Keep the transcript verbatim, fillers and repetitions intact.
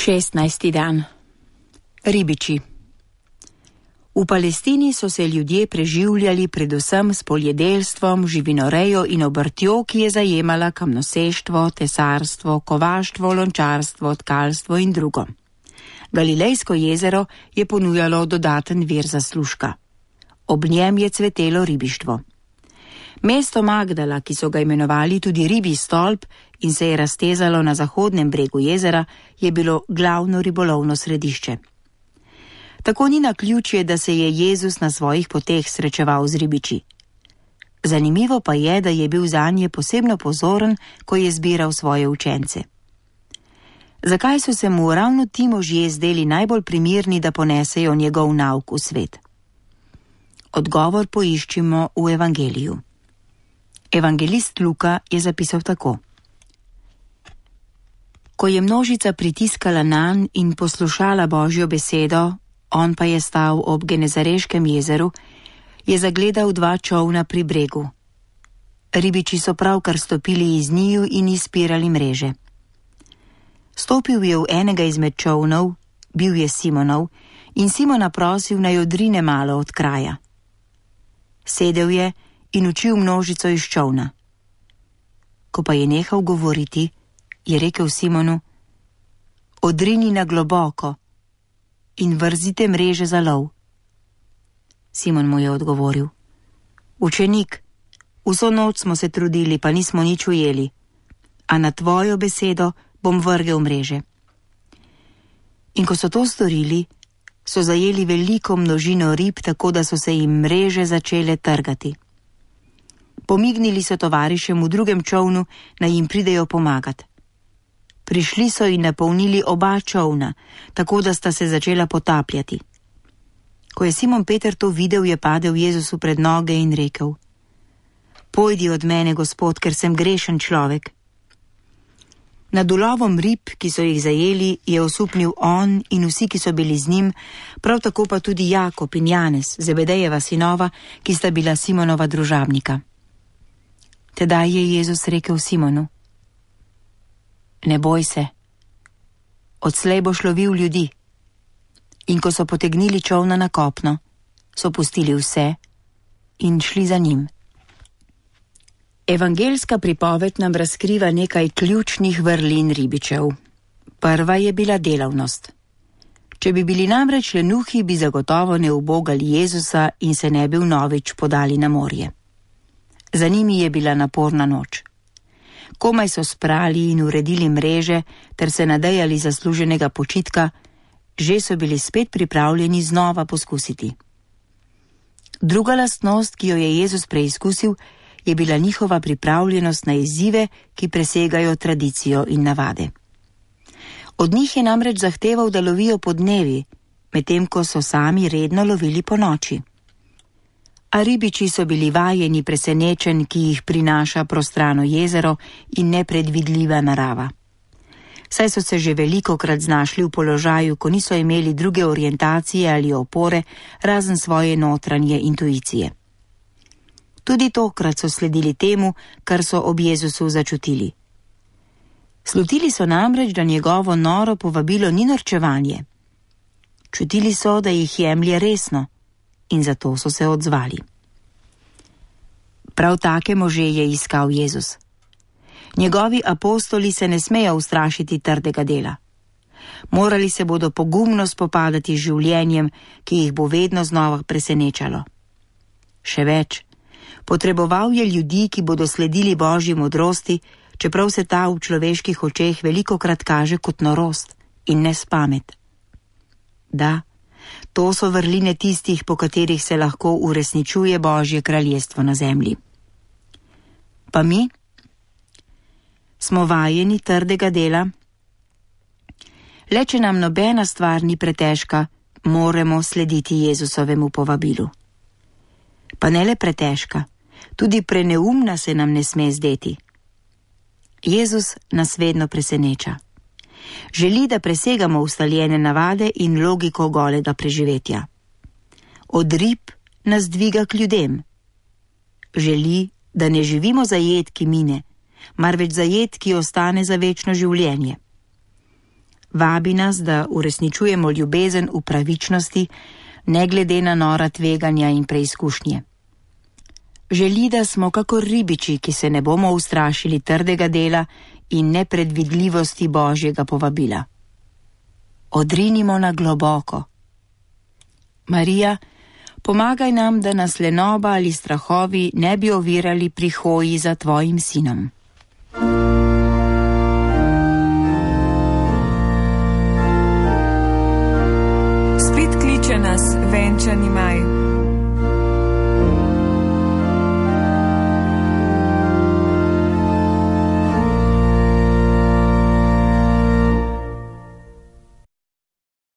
šestnajsti dan. Ribiči. V Palestini so se ljudje preživljali predvsem s poljedelstvom, živinorejo in obrtjo, ki je zajemala kamnoseštvo, tesarstvo, kovaštvo, lončarstvo, tkalstvo in drugo. Galilejsko jezero je ponujalo dodaten vir zaslužka. Ob njem je cvetelo ribištvo. Mesto Magdala, ki so ga imenovali tudi Ribji stolp in se je raztezalo na zahodnem bregu jezera, je bilo glavno ribolovno središče. Tako ni naključje, da se je Jezus na svojih poteh srečeval z ribiči. Zanimivo pa je, da je bil zanje posebno pozoren, ko je zbiral svoje učence. Zakaj so se mu ravno ti možje zdeli najbolj primirni, da ponesejo njegov nauk v svet? Odgovor poiščimo v Evangeliju. Evangelist Luka je zapisal tako. Ko je množica pritiskala nanj in poslušala Božjo besedo, on pa je stal ob Genezareškem jezeru, je zagledal dva čolna pri bregu. Ribiči so pravkar stopili iz njiju in izpirali mreže. Stopil je v enega izmed čolnov, bil je Simonov, in Simona prosil, naj odrine malo od kraja. Sedel je in učil množico iz čolna. Ko pa je nehal govoriti, je rekel Simonu, odrini na globoko in vrzite mreže za lov. Simon mu je odgovoril, učenik, vso noč smo se trudili, pa nismo nič ujeli, a na tvojo besedo bom vrgel mreže. In ko so to storili, so zajeli veliko množino rib, tako da so se jim mreže začele trgati. Pomignili so tovarišem v drugem čolnu, naj jim pridejo pomagat. Prišli so in napolnili oba čolna, tako da sta se začela potapljati. Ko je Simon Peter to videl, je padel Jezusu pred noge in rekel, pojdi od mene, Gospod, ker sem grešen človek. Nad ulovom rib, ki so jih zajeli, je osupnil on in vsi, ki so bili z njim, prav tako pa tudi Jakob in Janez, Zebedejeva sinova, ki sta bila Simonova družabnika. Tedaj je Jezus rekel Simonu, ne boj se, odslej boš lovil ljudi. In ko so potegnili čolna na kopno, so pustili vse in šli za njim. Evangelska pripoved nam razkriva nekaj ključnih vrlin ribičev. Prva je bila delavnost. Če bi bili namreč lenuhi, bi zagotovo ne ubogali Jezusa in se ne bi vnovič podali na morje. Za njimi je bila naporna noč. Komaj so sprali in uredili mreže ter se nadejali zasluženega počitka, že so bili spet pripravljeni znova poskusiti. Druga lastnost, ki jo je Jezus preizkusil, je bila njihova pripravljenost na izzive, ki presegajo tradicijo in navade. Od njih je namreč zahteval, da lovijo po dnevi, medtem ko so sami redno lovili po noči. A ribiči so bili vajeni presenečenj, ki jih prinaša prostrano jezero in nepredvidljiva narava. Saj so se že velikokrat znašli v položaju, ko niso imeli druge orientacije ali opore, razen svoje notranje intuicije. Tudi tokrat so sledili temu, kar so ob Jezusu začutili. Slutili so namreč, da njegovo noro povabilo ni norčevanje. Čutili so, da jih jemlje resno, in zato so se odzvali. Prav take može je iskal Jezus. Njegovi apostoli se ne smejo ustrašiti trdega dela. Morali se bodo pogumno spopadati z življenjem, ki jih bo vedno znova presenečalo. Še več, potreboval je ljudi, ki bodo sledili Božji modrosti, čeprav se ta v človeških očeh velikokrat kaže kot norost in nespamet. Da, to so vrline tistih, po katerih se lahko uresničuje Božje kraljestvo na zemlji. Pa mi? Smo vajeni trdega dela? Le če nam nobena stvar ni pretežka, moramo slediti Jezusovemu povabilu. Pa ne le pretežka, tudi preneumna se nam ne sme zdeti. Jezus nas vedno preseneča. Želi, da presegamo ustaljene navade in logiko golega preživetja. Od rib nas dviga k ljudem. Želi, da ne živimo za jed, ki mine, marveč za jed, ki ostane za večno življenje. Vabi nas, da uresničujemo ljubezen v pravičnosti, ne glede na nora tveganja in preizkušnje. Želi, da smo kakor ribiči, ki se ne bomo ustrašili trdega dela in nepredvidljivosti Božjega povabila. Odrinimo na globoko. Marija, pomagaj nam, da nas lenoba ali strahovi ne bi ovirali pri hoji za tvojim sinom. Spet kliče nas venčani maj.